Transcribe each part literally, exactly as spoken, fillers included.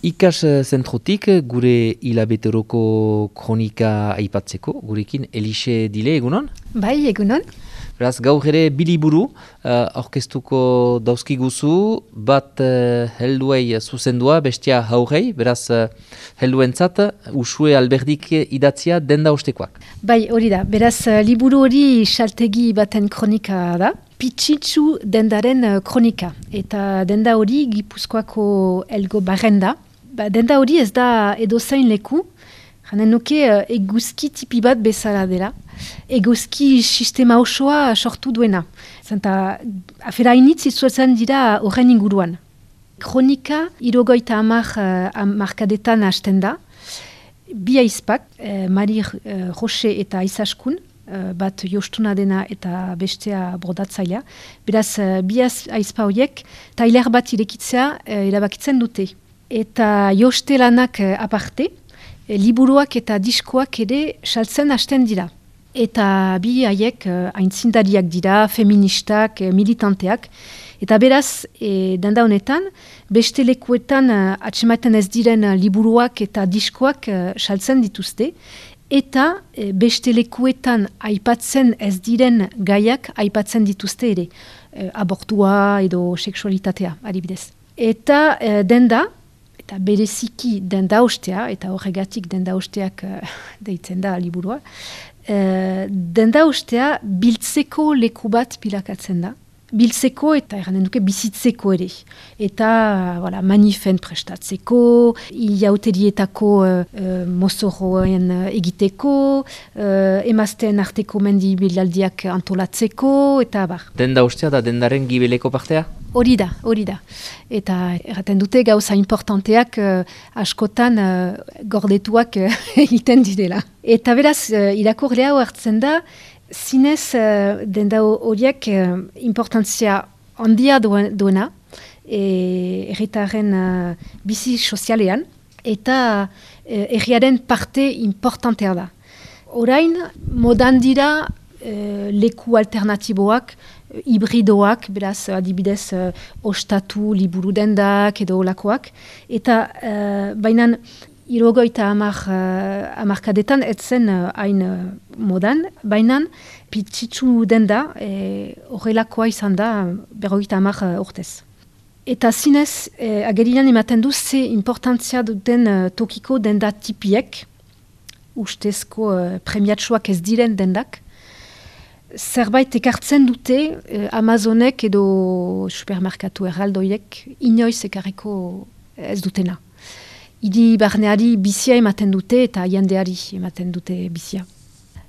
Ikas zentrotik gure hilabeteroko kronika aipatzeko, gurekin Elixe Dile, egunon? Bai, egunon. Beraz, gaur ere biliburu uh, aurkeztuko dauzkiguzu, bat uh, helduei zuzendua, bestia haurei, beraz, uh, helduentzat, Usue Alberdik idatzia denda ostekoak. Bai, hori da, beraz, liburu hori saltegi baten kronika da, Pitzitsu dendaren uh, kronika, eta denda hori Gipuzkoako Elgo Barrenda. Ba, denda hori ez da edozein leku, janen nuke uh, eguzki tipi bat bezala dela. Eguzki sistema osoa sortu duena. Zenta, afera initz izuetzen dira horren inguruan. Kronika irogoita amar uh, amarkadetan hasten da. Bi aizpak, uh, Mari uh, Roche eta Aizaskun, uh, bat jostuna dena eta bestea brodatzailea. Beraz, uh, bi aizpa horiek, tailer bat irekitzea uh, erabakitzen dute. Eta joste lanak uh, aparte, uh, liburuak eta diskoak ere saltzen hasten dira. Eta bi haiek uh, aintzindariak dira, feministak, uh, militanteak. Eta beraz, e, denda honetan, beste lekuetan uh, atsemaiten ez diren uh, liburuak eta diskoak uh, saltzen dituzte. Eta e, beste lekuetan aipatzen ez diren gaiak aipatzen dituzte ere. E, abortua edo seksualitatea, adibidez. Eta e, denda, eta bereziki denda ostea, eta horregatik denda osteak uh, deitzen da liburua, Uh, denda ostea biltzeko leku bat bilakatzen da. Biltzeko eta erranen duke bizitzeko ere. Eta voilà, manifen prestatzeko, iauterietako uh, uh, mozorroen uh, egiteko, uh, emazten arteko mendi bilaldiak antolatzeko, eta bar. Denda ostea da dendaren gibeleko partea? Hori da, hori da. Eta erraten dute gauza importanteak uh, askotan uh, gordetuak uh, egiten direla. Eta beraz, uh, irakurlea hartzen da, zinez uh, denda horiek uh, importantzia handia duena, erritaren uh, bizi sozialean, eta uh, erriaren parte importantea da. Orain, modan dira uh, leku alternatiboak, hibridoak, beraz, adibidez, uh, ostatu, liburu dendak edo olakoak, eta uh, bainan irogoita amar, uh, amarkadetan etzen hain uh, uh, modan, bainan pitzitsu denda horrelakoa e, izan da berrogeita amar uh, urtez. Eta zinez, eh, agerian ematen du ze importantzia duten uh, tokiko denda tipiek, ustezko uh, premiatsuak ez diren dendak, zerbait ekartzen dute eh, Amazonek edo supermerkatu erraldoiek inoiz ekarriko ez dutena. Idi barneari bizia ematen dute eta jendeari ematen dute bizia.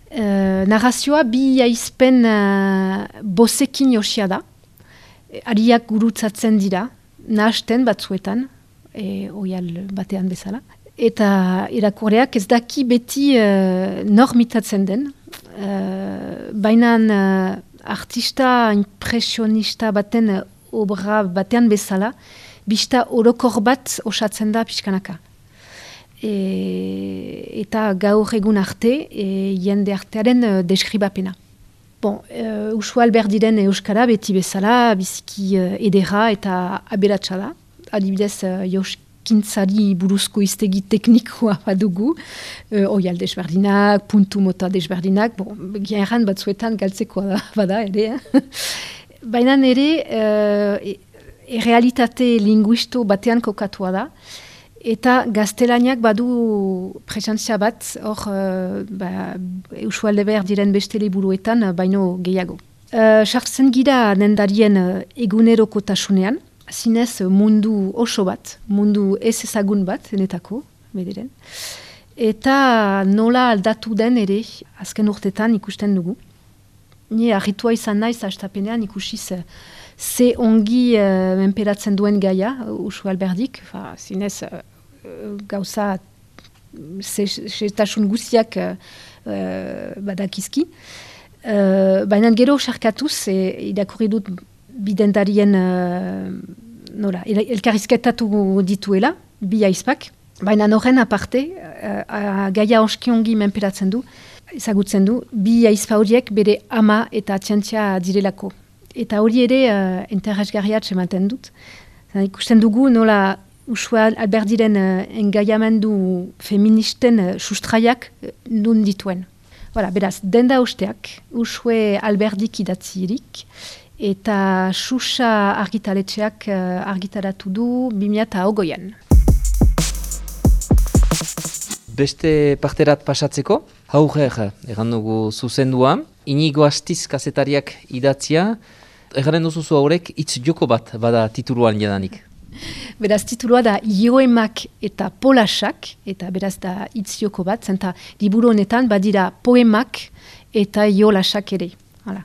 E, narrazioa bi aizpen uh, bosekin josia da. E, ariak gurutzatzen dira, nahasten batzuetan, e, oial batean bezala. Eta irakurleak ez daki beti uh, nor mitatzen den. Uh, baina uh, artista impresionista baten uh, obra batean bezala, bista orokor bat osatzen da pixkanaka. E, eta gaur egun arte, e, jende artearen uh, deskribapena. Bon, uh, Usue Alberdiren euskara beti bezala, biziki uh, edera eta aberatsa da. Adibidez, uh, Jouskintzari buruzko iztegi teknikoa badugu, uh, oial desberdinak, puntu mota desberdinak, bon, gian batzuetan galtzekoa da, bada ere. Eh? Baina ere, uh, errealitate linguisto batean kokatua da, eta gaztelaniak badu presentzia bat, hor, uh, ba, Usue Alberdiren beste liburuetan, uh, baino gehiago. Sartzen uh, gira dendarien uh, egunerokotasunean, zinez mundu oso bat, mundu ez ezagun bat, enetako, bederen. Eta nola aldatu den ere, azken urtetan ikusten dugu. Ni arritua izan naiz hastapenean ikusiz ze ongi uh, menperatzen duen gaia, Usue Alberdik, fa, zinez uh, gauza setasun guziak uh, badakizki. Uh, Baina gero sarkatuz, e, irakurri dut bidendarien uh, nola, elkarrizketatu dituela, bi aizpak, baina horren aparte, uh, gaia oski ongi menperatzen du, ezagutzen du, bi aizpa horiek bere ama eta atziantzia direlako. Eta hori ere uh, interesgarriat ematen dut. Zan, ikusten dugu nola Usue Alberdiren uh, engaiamendu feministen uh, sustraiak uh, nun dituen. Voilà, beraz, denda usteak, Usue Alberdik idatzirik, eta Xuxa argitaletxeak uh, argitaratu du bi mila hogeian. Beste parterat pasatzeko, hauger, egan dugu zuzendua, Inigo Astiz kazetariak idatzia, egaren duzuzu haurek hitz joko bat bada tituluan jadanik. Beraz, titulua da Joemak eta Polasak, eta beraz da hitz joko bat, zenta liburu honetan badira poemak eta jolasak ere. Hala.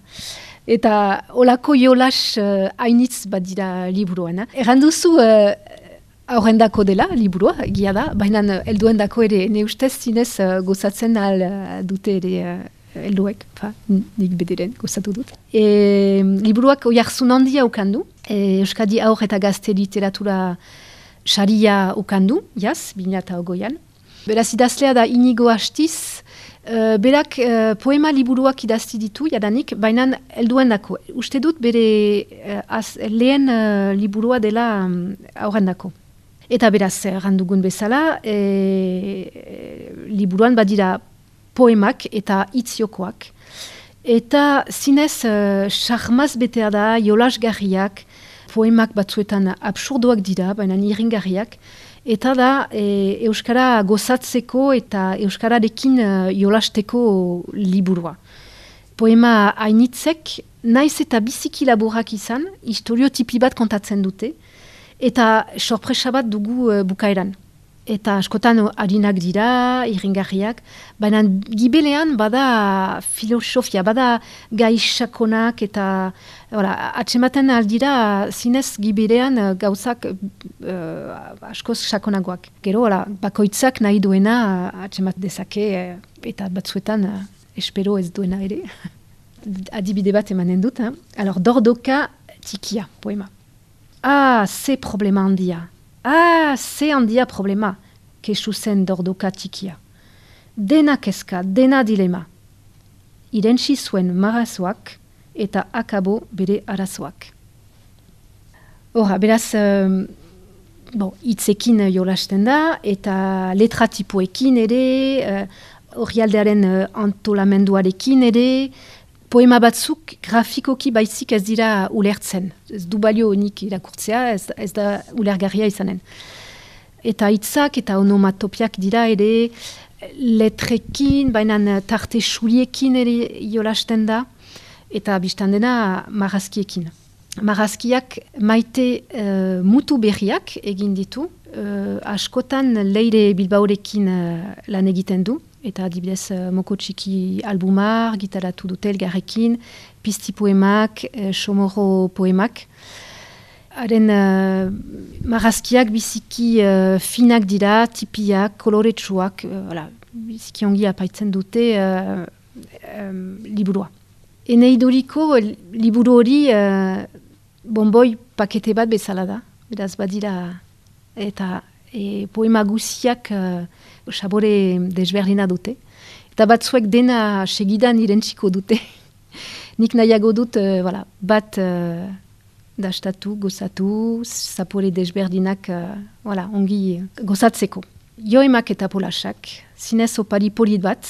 Eta olako jolas uh, hainitz badira liburuan. Egan duzu uh, aurrendako dela liburua, gia da, baina helduendako ere, ne ustez zinez uh, gozatzen al uh, dute ere uh, helduek, fa, nik bederen gozatu dut. E, liburuak oiarzun handia ukandu, e, Euskadi Aur eta Gazte Literatura saria ukandu, jaz, bi mila hogeian. Beraz idazlea da Inigo Astiz, uh, berak uh, poema liburuak idazti ditu, jadanik, baina helduendako. Uste dut bere uh, az, lehen uh, liburua dela um, aurrendako. Eta beraz, errandugun bezala, e, liburuan badira poemak eta hitziokoak. Eta zinez, charmaz uh, betea da, jolasgarriak, poemak batzuetan absurdoak dira, baina iringarriak. Eta da, e, Euskara gozatzeko eta Euskararekin uh, jolasteko liburua. Poema hainitzek, naiz eta biziki laburak izan, historiotipi bat kontatzen dute, eta sorpresa bat dugu uh, bukaeran. Eta askotan harinak dira, iringarriak, baina gibelean bada filosofia, bada gai sakonak eta ora, atsematen aldira zinez gibelean uh, gauzak uh, askoz sakonagoak. Gero, ora, bakoitzak nahi duena uh, atsemat dezake uh, eta batzuetan uh, espero ez duena ere. Adibide bat emanen dut. Hein? Alors, Dordoka tikia, poema. Ah, ze problema handia. Ah, ze handia problema, kesu zen Dordoka tikia. Dena kezka, dena dilema. Irentsi zuen marazoak eta akabo bere arazoak. Hora, beraz, um, bon, itzekin jolasten da, eta letratipoekin ere, orrialdearen uh, antolamenduarekin ere, poema batzuk grafikoki baizik ez dira ulertzen. Ez du balio nik irakurtzea, ez, ez da ulergarria izanen. Eta hitzak eta onomatopiak dira ere letrekin, baina tarte xuriekin ere jolasten da, eta biztan dena marrazkiekin. Marrazkiak maite uh, mutu berriak egin ditu, uh, askotan Leire Bilbaorekin uh, lan egiten du, eta adibidez uh, Moko Txiki albumar, gitaratu dute elgarrekin, pizti poemak, uh, Xomorro poemak. Haren uh, marrazkiak biziki uh, finak dira, tipiak, koloretsuak, uh, voilà, biziki ongi apaitzen dute uh, um, liburua. Eneidoriko liburu hori uh, bonboi pakete bat bezala da, beraz badira, eta e, poema guziak uh, sabore desberdina dute. Eta batzuek dena segidan irentsiko dute. Nik nahiago dut uh, voilà, bat uh, dastatu, gozatu, zapore desberdinak uh, voilà, ongi gozatzeko. Joemak eta Polasak, zinez opari polit bat,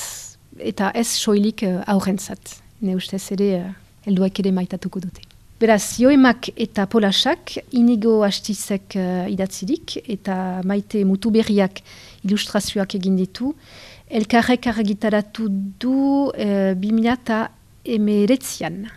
eta ez soilik uh, aurrentzat. Ne ustez ere, uh, helduak ere maitatuko dute. Beraz, Joemak eta Polasak, Inigo Astizek uh, idatzirik, eta maite mutuberriak ilustrazioak egin ditu, elkarrek argitaratu du uh, bi mila emeretzian.